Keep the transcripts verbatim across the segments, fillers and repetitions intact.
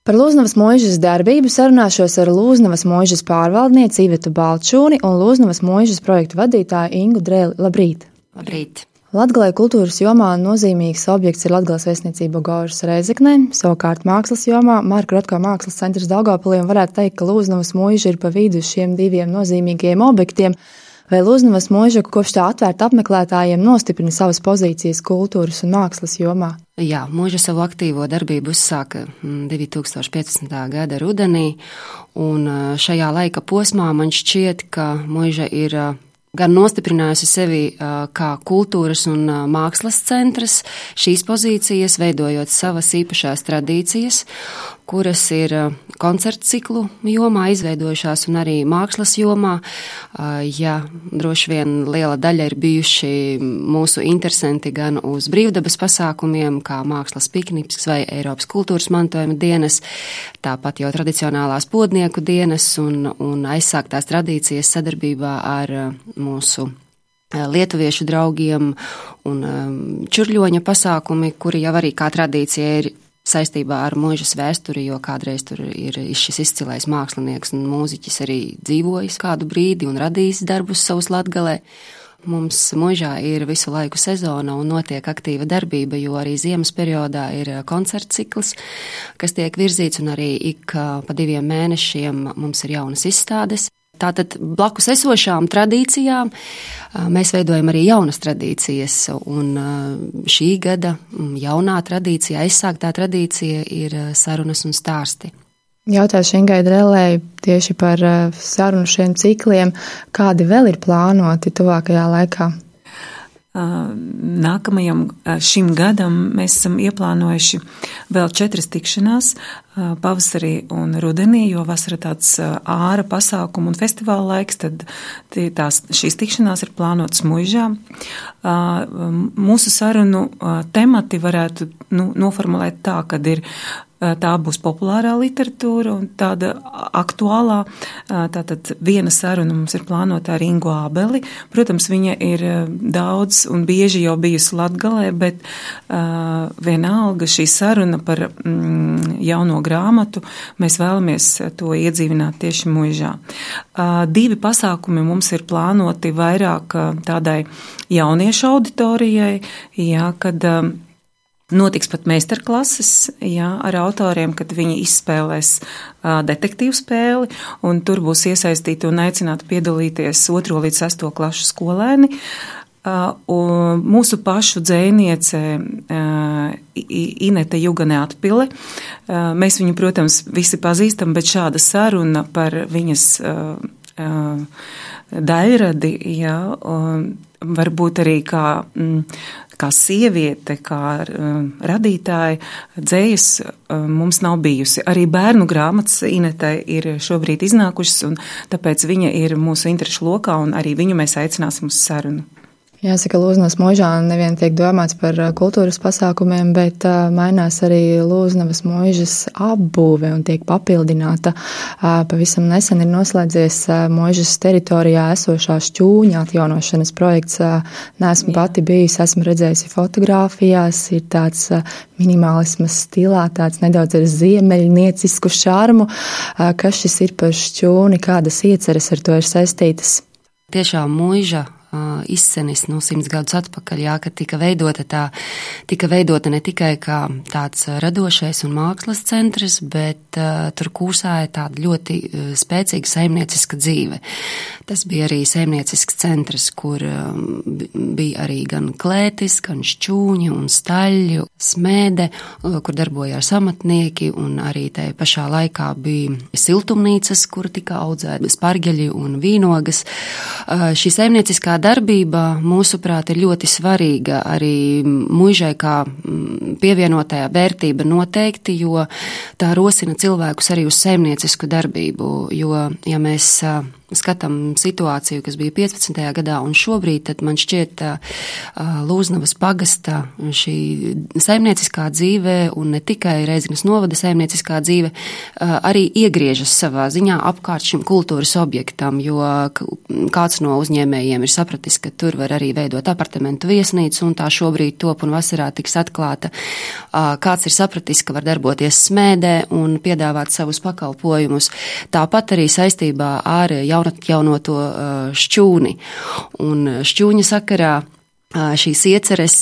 Par Lūznavas mūžas darbību sarunāšos ar Lūznavas mūžas pārvaldnieci Ivetu Balčūni un Lūznavas mūžas projektu vadītāju Ingu Drēli. Labrīt! Labrīt! Latgalei kultūras jomā nozīmīgs objekts ir Latgales vēstniecība Gaužas Rēzeknē, savukārt mākslas jomā Marka Rotko mākslas centrs Daugavpilī, un varētu teikt, ka Lūznavas mūža ir pa vidu šiem diviem nozīmīgajiem objektiem. Vai Lūznavas mūža kopš tā atvērta apmeklētājiem nostiprina savas pozīcijas kultūras un mākslas jomā? Jā, mūža savu aktīvo darbību uzsāka divi tūkstoši piecpadsmitā gada rudenī, un šajā laika posmā man šķiet, ka mūža ir gan nostiprinājusi sevi kā kultūras un mākslas centrs, šīs pozīcijas veidojot savas īpašās tradīcijas, kuras ir koncertu ciklu jomā izveidojušās un arī mākslas jomā. Ja droši vien liela daļa ir bijuši mūsu interesanti gan uz brīvdabas pasākumiem, kā mākslas pikniks vai Eiropas kultūras mantojuma dienas, tāpat jau tradicionālās podnieku dienas un, un aizsāktās tradīcijas sadarbībā ar mūsu lietuviešu draugiem un čurļoņa pasākumi, kuri jau arī kā tradīcija ir saistībā ar mūžas vēsturi, jo kādreiz tur ir šis izcilais mākslinieks un mūziķis arī dzīvojis kādu brīdi un radījis darbus savus Latgalē. Mums mūžā ir visu laiku sezona un notiek aktīva darbība, jo arī ziemas periodā ir koncerts cikls, kas tiek virzīts, un arī ik pa diviem mēnešiem mums ir jaunas izstādes. Tātad blakus esošām tradīcijām mēs veidojam arī jaunas tradīcijas, un šī gada jaunā tradīcija, aizsāktā tradīcija ir sarunas un stāsti. Jautāšu Ingai Drēlei tieši par sarunu šiem cikliem, kādi vēl ir plānoti tuvākajā laikā? Nākamajam šim gadam mēs esam ieplānojuši vēl četras tikšanās pavasarī un rudenī, jo vasara tāds āra pasākumu un festivāla laiks, tad tās, šīs tikšanās ir plānotas mūžā. Mūsu sarunu temati varētu nu, noformulēt tā, kad ir tā būs populārā literatūra un tāda aktuālā. Tātad viena saruna mums ir plānota ar Ingu Ābeli. Protams, viņa ir daudz un bieži jau bijusi Latgalē, bet uh, vienalga šī saruna par mm, jauno grāmatu, mēs vēlamies to iedzīvināt tieši mūžā. Uh, divi pasākumi mums ir plānoti vairāk tādai jauniešu auditorijai, jā, kad uh, notiks pat meistarklases, jā, ar autoriem, kad viņi izspēlēs uh, detektīvu spēli, un tur būs iesaistīti un aicināti piedalīties otro līdz sesto klašu skolēni. Uh, un mūsu pašu dzējniece uh, Inete Jugane Atpile. Uh, mēs viņu, protams, visi pazīstam, bet šāda saruna par viņas uh, uh, daļradi, jā, uh, varbūt arī kā mm, kā sieviete, kā uh, radītāja, dzējas uh, mums nav bijusi. Arī bērnu grāmatas Inetai ir šobrīd iznākušas, un tāpēc viņa ir mūsu interešu lokā, un arī viņu mēs aicināsim uz sarunu. Jāsaka, Lūznavas mūžā nevien tiek domāts par kultūras pasākumiem, bet uh, mainās arī Lūznavas mūžas apbūve un tiek papildināta. Uh, pavisam nesen ir noslēdzies uh, mūžas teritorijā esošā šķūņa atjaunošanas projekts. Uh, neesmu pati bijusi, esmu redzējusi fotogrāfijās, ir tāds uh, minimālismas stilā, tāds nedaudz ar ziemeļniecisku šarmu. Uh, kas šis ir par šķūni, kādas ieceres ar to ir saistītas? Tiešām mūža izcenis no simts gadus atpakaļ, jā, kad tika veidota tā, tika veidota ne tikai kā tāds radošais un mākslas centrs, bet uh, tur kūsāja tāda ļoti uh, spēcīga saimnieciska dzīve. Tas bija arī saimniecisks centrs, kur um, bija arī gan klētis, gan šķūņi un staļļi, smēde, uh, kur darbojās amatnieki, un arī tai pašā laikā bija siltumnīcas, kur tika audzēti spargeļi un vīnogas. Uh, šī saimnieciskā darbība, mūsuprāt, ir ļoti svarīga arī mūžai kā pievienotajā vērtība noteikti, jo tā rosina cilvēkus arī uz saimniecisku darbību, jo, ja mēs skatām situāciju, kas bija piecpadsmitajā gadā un šobrīd, tad man šķiet Lūznavas pagasta šī saimnieciskā dzīve un ne tikai Reizeknes novada saimnieciskā dzīve arī iegriežas savā ziņā apkārt šim kultūras objektam, jo kāds no uzņēmējiem ir sapratis, ka tur var arī veidot apartamentu viesnīcu un tā šobrīd top un vasarā tiks atklāta. Kāds ir sapratis, ka var darboties smēdē un piedāvāt savus pakalpojumus. Tāpat arī saistībā ar jaunatjaunoto šķūni. Un šķūņa sakarā šīs ieceres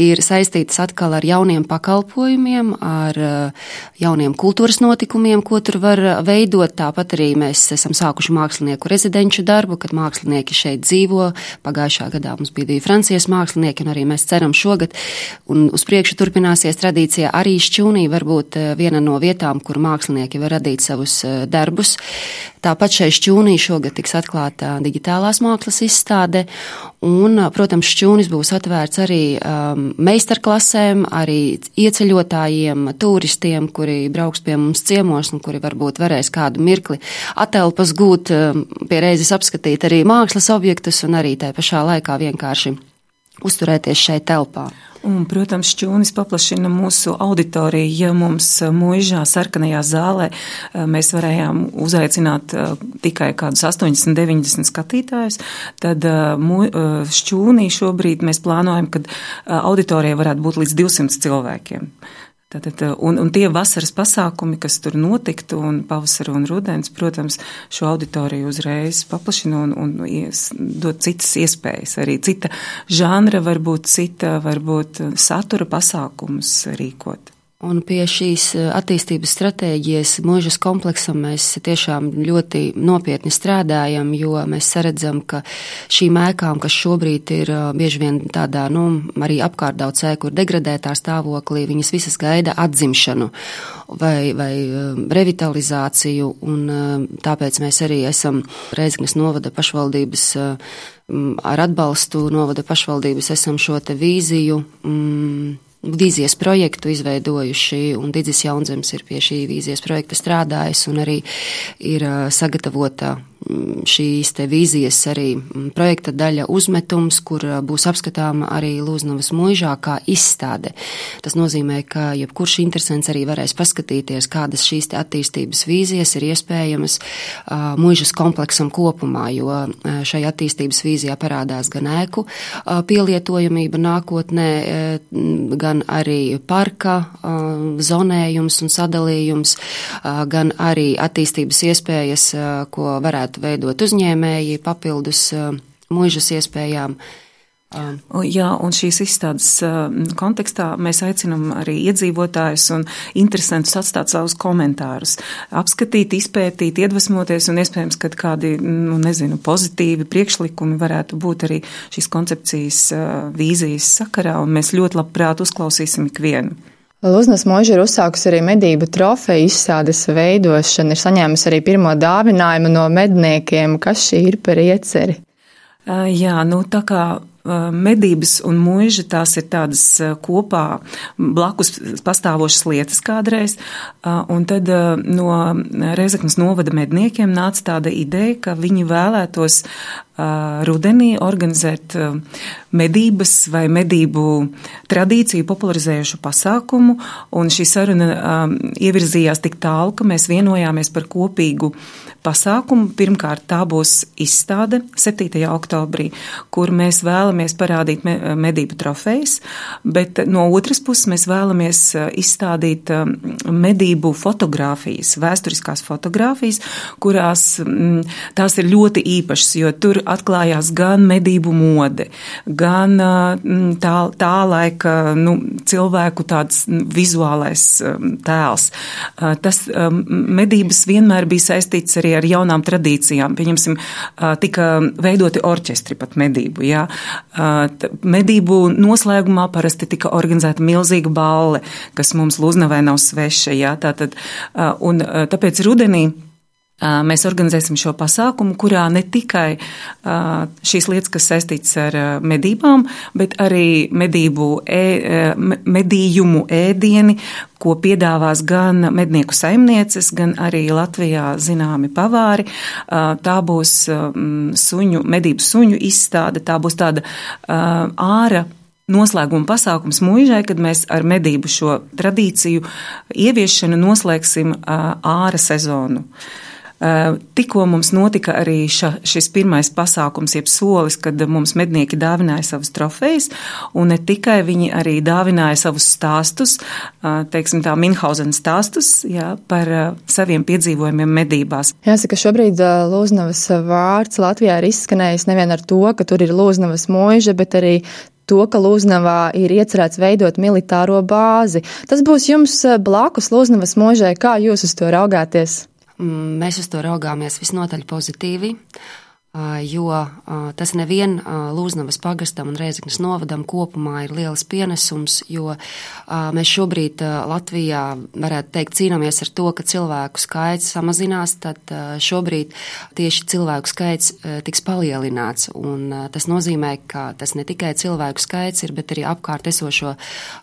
ir saistītas atkal ar jauniem pakalpojumiem, ar jauniem kultūras notikumiem, ko tur var veidot. Tāpat arī mēs esam sākuši mākslinieku rezidenču darbu, kad mākslinieki šeit dzīvo. Pagājušā gadā mums bija divi Francijas mākslinieki, un arī mēs ceram šogad, un uz priekšu turpināsies tradīcija arī šķūnī, varbūt viena no vietām, kur mākslinieki var radīt savus darbus. Tāpat šai šķūnī šogad tiks atklāta digitālās mākslas izstāde, un, protams, šķūnis būs atvērts arī um, meistarklasēm, arī ieceļotājiem, turistiem, kuri brauks pie mums ciemos un kuri varbūt varēs kādu mirkli atelpas gūt, um, pie reizes apskatīt arī mākslas objektus un arī tā pašā laikā vienkārši uzturēties šeit telpā. Un, protams, šķūnis paplašina mūsu auditoriju. Ja mums Muižā sarkanajā zālē mēs varējām uzaicināt tikai kādus astoņdesmit deviņdesmit skatītājus, tad šķūnī šobrīd mēs plānojam, ka auditorija varētu būt līdz divsimt cilvēkiem. Tātad, un, un tie vasaras pasākumi, kas tur notiktu, un pavasara un rudens, protams, šo auditoriju uzreiz paplašina un, un ies, dod citas iespējas. Arī cita žanra, varbūt cita, varbūt satura pasākumus rīkot. Un pie šīs attīstības stratēģijas Muižas kompleksam mēs tiešām ļoti nopietni strādājam, jo mēs saredzam, ka šīm ēkām, kas šobrīd ir bieži vien tādā, nu, arī apkārt daudz ēku ir degradētā stāvoklī, viņas visas gaida atzimšanu vai, vai revitalizāciju, un tāpēc mēs arī esam Reizeknes novada pašvaldības ar atbalstu novada pašvaldības esam šo te vīziju mm, vīzijas projektu izveidojuši, un Didzis Jaunzems ir pie šī vīzijas projekta strādājis, un arī ir sagatavota šīs te vīzijas arī projekta daļa uzmetums, kur būs apskatāma arī Lūznavas Muižā kā izstāde. Tas nozīmē, ka jebkurš interesants arī varēs paskatīties, kādas šīs te attīstības vīzijas ir iespējamas uh, Muižas kompleksam kopumā, jo uh, šai attīstības vīzijā parādās gan ēku uh, pielietojamība nākotnē, uh, gan arī parka uh, zonējums un sadalījums, uh, gan arī attīstības iespējas, uh, ko varētu veidot uzņēmēji papildus uh, Muižas iespējām. Uh. Jā, un šīs izstādes uh, kontekstā mēs aicinam arī iedzīvotājus un interesantus atstāt savus komentārus, apskatīt, izpētīt, iedvesmoties un iespējams, kad kādi, nu, nezinu, pozitīvi priekšlikumi varētu būt arī šīs koncepcijas uh, vīzijas sakarā, un mēs ļoti labprāt uzklausīsim ikvienu. Lūznavas Muiža ir uzsākusi arī medību trofeju izstādes veidošanu, ir saņēmusi arī pirmo dāvinājumu no medniekiem. Kas šī ir par ieceri? Jā, nu tā kā medības un muiža, tās ir tādas kopā blakus pastāvošas lietas kādreiz, un tad no Reizeknes novada medniekiem nāca tāda ideja, ka viņi vēlētos rudenī organizēt medības vai medību tradīciju popularizējušu pasākumu, un šī saruna ievirzījās tik tālu, ka mēs vienojāmies par kopīgu pasākumu. Pirmkārt, tā būs izstāde septītajā oktobrī, kur mēs vēlamies parādīt medību trofejas, bet no otras puses mēs vēlamies izstādīt medību fotogrāfijas, vēsturiskās fotogrāfijas, kurās tās ir ļoti īpašas, jo tur atklājās gan medību mode, gan tā, tā laika nu, cilvēku tāds vizuālais tēls. Tas medības vienmēr bija saistīts arī ar jaunām tradīcijām. Pieņemsim, tika veidoti orķestri pat medību. Jā. Medību noslēgumā parasti tika organizēta milzīga balle, kas mums Lūznavai nav sveša. Jā. Tātad, un tāpēc rudenī mēs organizēsim šo pasākumu, kurā ne tikai šīs lietas, kas saistītas ar medībām, bet arī medību, e, medījumu ēdieni, ko piedāvās gan mednieku saimnieces, gan arī Latvijā zināmi pavāri. Tā būs suņu, medību suņu izstāde, tā būs tāda āra noslēguma pasākums Muižai, kad mēs ar medību šo tradīciju ieviešanu noslēgsim āra sezonu. Tikko mums notika arī ša, šis pirmais pasākums, jeb solis, kad mums mednieki dāvināja savus trofejas, un ne tikai viņi arī dāvināja savus stāstus, teiksim tā, Minhausen stāstus, jā, par saviem piedzīvojumiem medībās. Jāsaka, šobrīd Lūznavas vārds Latvijā ir izskanējis nevien ar to, ka tur ir Lūznavas Muiža, bet arī to, ka Lūznavā ir iecerēts veidot militāro bāzi. Tas būs jums blakus Lūznavas Muižai. Kā jūs uz to raugāties? Mēs uz to raugāmies visnotaļ pozitīvi, jo tas nevien Lūznavas pagastam un Rēzeknes novadam kopumā ir liels pienesums, jo mēs šobrīd Latvijā, varētu teikt, cīnāmies ar to, ka cilvēku skaits samazinās, tad šobrīd tieši cilvēku skaits tiks palielināts, un tas nozīmē, ka tas ne tikai cilvēku skaits ir, bet arī apkārt esošo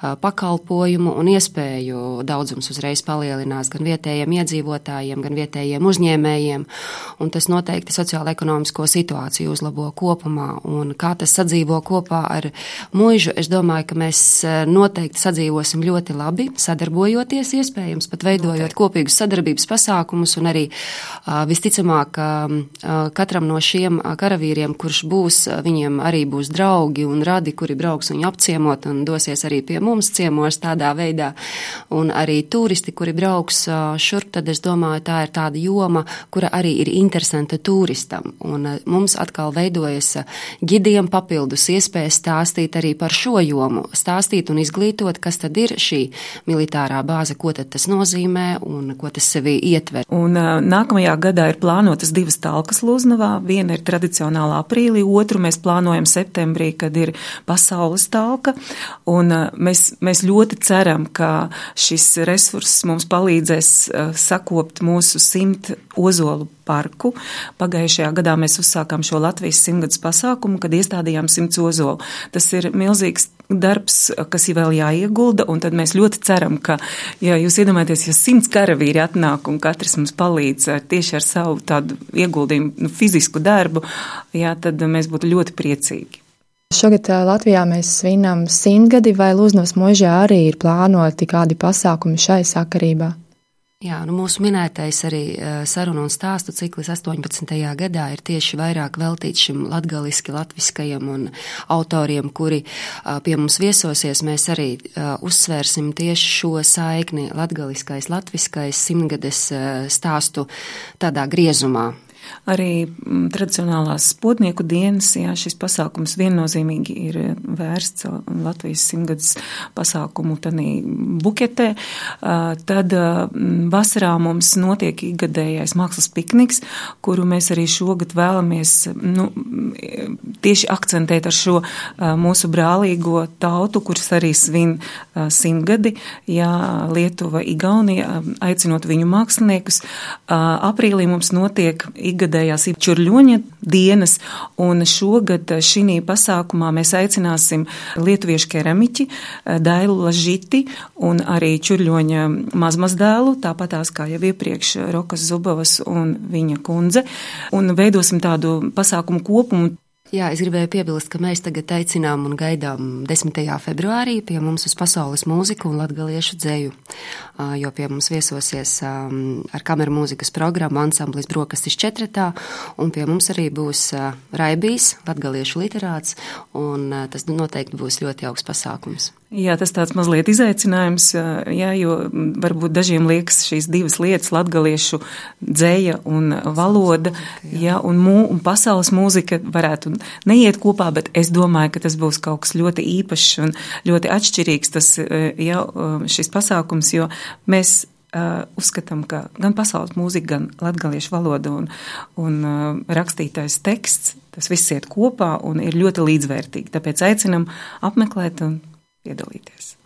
pakalpojumu un iespēju daudzums uzreiz palielinās gan vietējiem iedzīvotājiem, gan vietējiem uzņēmējiem, un tas noteikti sociāla-ekonomisko situāciju uzlabo kopumā, un kā tas sadzīvo kopā ar Muižu, es domāju, ka mēs noteikti sadzīvosim ļoti labi, sadarbojoties iespējams, pat veidojot kopīgus sadarbības pasākumus, un arī visticamāk katram no šiem karavīriem, kurš būs, viņiem arī būs draugi un radi, kuri brauks viņu apciemot un dosies arī pie mums ciemos tādā veidā, un arī turisti, kuri brauks šurp, tad es domāju, tā ir tāda joma, kura arī ir interesanta turistam, un mums atkal veidojas gidiem papildus iespējas stāstīt arī par šo jomu, stāstīt un izglītot, kas tad ir šī militārā bāze, ko tad tas nozīmē un ko tas sevī ietver. Un uh, nākamajā gadā ir plānotas divas talkas Lūznavā. Viena ir tradicionālā aprīlī, otru mēs plānojam septembrī, kad ir pasaules talka. Un uh, mēs, mēs ļoti ceram, ka šis resurss mums palīdzēs uh, sakopt mūsu simt ozolu parku. Pagājušajā gadā mēs uzsākām šo Latvijas simtgadus pasākumu, kad iestādījām simts ozolu. Tas ir milzīgs darbs, kas ir vēl jāiegulda, un tad mēs ļoti ceram, ka, ja jūs iedomājaties, ja simts karavīri atnāk un katrs mums palīdz tieši ar savu tādu ieguldījumu, nu, fizisku darbu, jā, tad mēs būtu ļoti priecīgi. Šogad Latvijā mēs svinam simtgadi, vai Lūznavas Muižā arī ir plānoti kādi pasākumi šai sakarībā? Jā, nu mūsu minētais arī sarunu un stāstu ciklis astoņpadsmitajā gadā ir tieši vairāk veltīts šim latgaliski latviskajam un autoriem, kuri pie mums viesosies. Mēs arī uzsvērsim tieši šo saikni latgaliskais, latviskais simtgades stāstu tādā griezumā. Arī tradicionālās spodnieku dienas, jā, šis pasākums viennozīmīgi ir vērsts Latvijas simtgadus pasākumu tanī buketē. Tad vasarā mums notiek ikgadējais mākslas pikniks, kuru mēs arī šogad vēlamies, nu, tieši akcentēt ar šo mūsu brālīgo tautu, kuras arī svin simtgadi, jā, Lietuva, Igaunija, aicinot viņu māksliniekus. Aprīlī mums notiek ikgadējās Čurļoņa dienas, un šogad šī pasākumā mēs aicināsim lietuviešu keramiķi Dailu Lažiti un arī Čurļoņa mazmazdēlu, tāpatās kā jau iepriekš Rokas Zubovas un viņa kundze, un veidosim tādu pasākumu kopumu. Jā, es gribēju piebilst, ka mēs tagad aicinām un gaidām desmitajā februārī pie mums uz pasaules mūziku un latgaliešu dzeju, jo pie mums viesosies ar kameru mūzikas programmu ansamblis Brokastis četratā, un pie mums arī būs Raibijs, latgaliešu literāts, un tas noteikti būs ļoti jauks pasākums. Jā, tas tāds mazliet izaicinājums, jā, jo varbūt dažiem liekas šīs divas lietas, latgaliešu dzeja un valoda, jā, un, mū, un pasaules mūzika varētu neiet kopā, bet es domāju, ka tas būs kaut kas ļoti īpašs un ļoti atšķirīgs tas, jā, šis pasākums, jo mēs uh, uzskatām, ka gan pasaules mūzika, gan latgaliešu valoda un, un uh, rakstītais teksts, tas viss iet kopā un ir ļoti līdzvērtīgi. Tāpēc aicinam apmeklēt un piedalīties.